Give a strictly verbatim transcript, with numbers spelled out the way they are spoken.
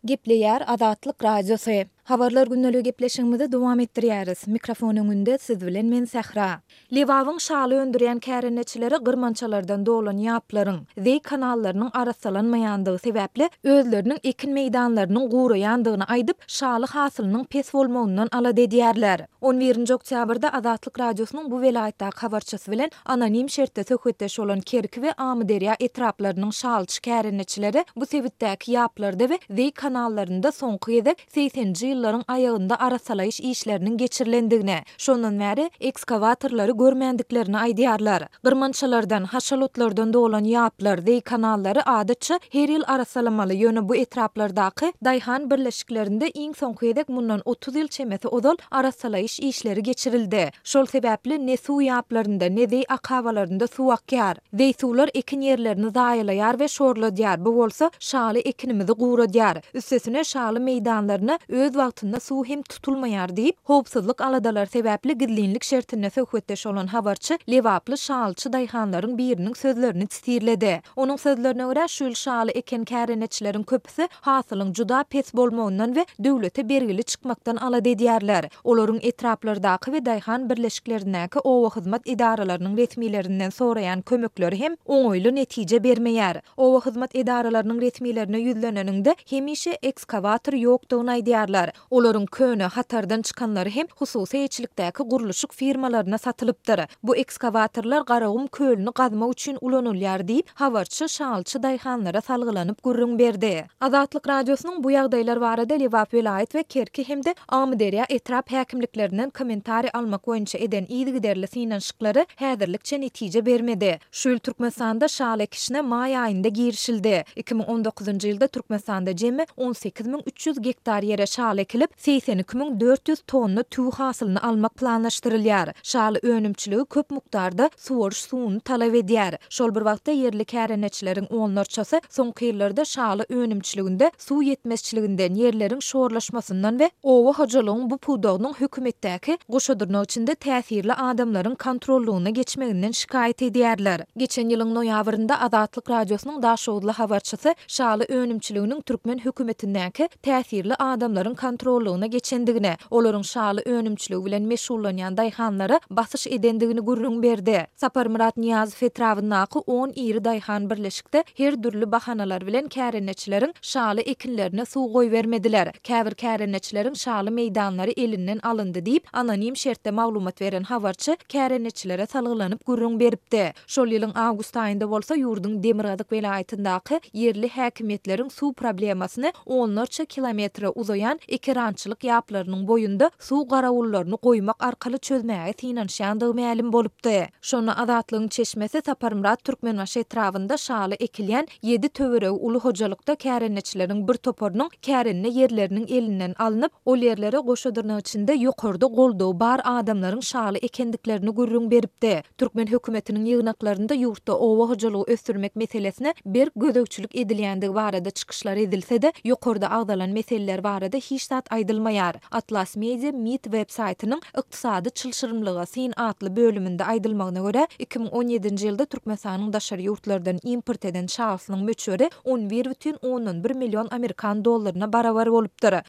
Gepleýär Azatlyk Radiosy. Habarlar gündeligi gepleşigimizi dowam etdirýäris. Mikrofon öňünde siz bilen men Sähra. Lebabyň şaly öndürýän kärendeçileri gyrmançalardan dolan ýaplaryň, zeý kanallarynyň arassalanmaýandygy sebäpli özleriniň ekin meýdanlarynyň guraýandygyny aýdyp, şaly hasylynyň pes bolmagyndan alada edýärler. On birinji oktýabrda Azatlyk Radiosynyň bu welaýatdaky habarçysy bilen anonim şertde söhbetdeş bolan Kerki we Amyderýa etraplarynyň şalyçy kärendeçileri bu sebitdäki ýaplarda we zeý kanallarynda soňky gezek segseninji ýyllaryň aýagynda arassalaýyş işleriniň geçirilendigini, şondan bäri ekskawatorlary görmändiklerini aýdýarlar. Gyrmançalardan, haşal otlardan dolan ýaplar, zeý kanallary adatça her ýyl arassalamaly, ýöne bu etraplardaky daýhan birleşiklerinde iň soňky gezek mundan otuz ýyl çemesi ozal arassalaýyş işleri geçirildi. Şol sebäpli ne suw ýaplarynda, ne zeý akabalarynda suw akýar. Zeý suwlar ekin ýerlerini zaýalaýar we şorladýar, bu bolsa şaly ekinimizi guradýar. Üstesine şaly meýdanlaryna öz wagtynda suw hem tutulmaýar diýip, howpsuzlyk aladalary sebäpli gizlinlik şertinde söhbetdeş bolan habarçy lebaply şalyçy daýhanlaryň biriniň sözlerini sitirledi. Onuň sözlerine görä, şu ýyl şaly eken kärendeçileriň köpüsi hasylyň juda pes bolmagyndan we döwlete bergili çykmakdan alada edýärler. Olaryň etraplardaky we daýhan birleşiklerindäki oba hyzmat edaralarynyň resmilerinden soraýan kömekleri hem oňaýly netije bermeýär. Oba hyzmat edaralarynyň resmilerine ýüzleneniňde hemişe ekskawator ýokdugyny aýdýarlar. Olaryň köne hatardan çykanlary hem hususy eýeçilikdäki gurluşyk firmalaryna satylypdyr. Bu ekskawatorlar Garagum kölüni gazmak üçin ulanylýar diýip, habarçy şalyçy daýhanlara salgylanyp gürrüň berdi. Azatlyk Radiosynyň bu ýagdaýlar barada Lebap welaýat we Kerki hem-de Amyderýa etrap häkimliklerinden kommentariý almak boýunça eden yzygiderli synanyşyklary häzirlikçe netije bermedi. Şu ýyl Türkmenistanda şaly ekişine maý aýynda girişildi. Iki müň on dokuzynjy ýylda Türkmenistanda jemi on sekiz müň üç ýüz gektar ýere şaly ekilip, segsen iki müň dört ýüz tonna tüwi hasylyny almak planlaşdyrylýar. Şaly önümçiligi köp mukdarda suwaryş suwuny talap edýär. Şol bir wagtda ýerli kärendeçileriň onlarçasy soňky ýyllarda şaly önümçiliginde suw ýetmezçiliginden, ýerleriň şorlaşmasyndan we oba hojalygyň bu pudagynyň hökümetdäki goşadyrnak içinde täsirli adamlaryň kontrollygyna geçmeginden şikaýat edýärler. Geçen ýylyň noýabrynda Azatlyk Radiosynyň Daşoguzly habarçysy şaly önümçiliginiň türkmen hökümetindäki täsirli adamlaryň kontrollygyna geçendigini, olaryň şaly önümçiligi bilen meşgullanýan daýhanlara basyş edendigini gürrüň berdi. Saparmyrat Nyýazow etrabyndaky on iri daýhan birleşikde her dürli bahanalar bilen kärendeçileriň şaly ekinlerine suw goýbermediler. Käbir kärendeçileriň şaly meýdanlary elinden alyndy diýip, anonim şertde maglumat beren habarçy kärendeçilere salgylanyp gürrüň beripdi. Şol ýylyň awgust aýynda bolsa ýurduň Demirgazyk welaýatyndaky ýerli häkimiýetleriň suw problemasyny onlarça kilometre uzaýan ekerançylyk ýaplarynyň boýunda suw garawullaryny goýmak arkaly çözmäge synanyşýandygy mälim bolupdy. Şonda Azatlygyň çeşmesi Saparmyrat Türkmenbaşy etrabynda şaly ekilýän ýedi töweregi uly hojalykda kärendeçileriň bir toparynyň kärende ýerleriniň elinden alnyp, ol ýerlere goşadyrnak içinde ýokarda goldawy bar adamlaryň şaly ekendiklerini gürrüň beripdi. Türkmen hökümetiniň ýygnaklarynda ýurtda oba hojalygy ösdürmek meselesine berk gözegçilik edilýändigi barada çykyşlar edilse-de, ýokarda agzalan meseleler barada hiç zat aýdylmaýar. Atlas Media MIT web saýtynyň Ykdysady çylşyrymlyga syn atly bölüminde aýdylmagyna görä, iki müň on ýedinji ýylda Türkmenistanyň daşary ýurtlardan import eden şalysynyň möçberi on bir bütin ondan bir million amerikan dollaryna barabar bolupdyr.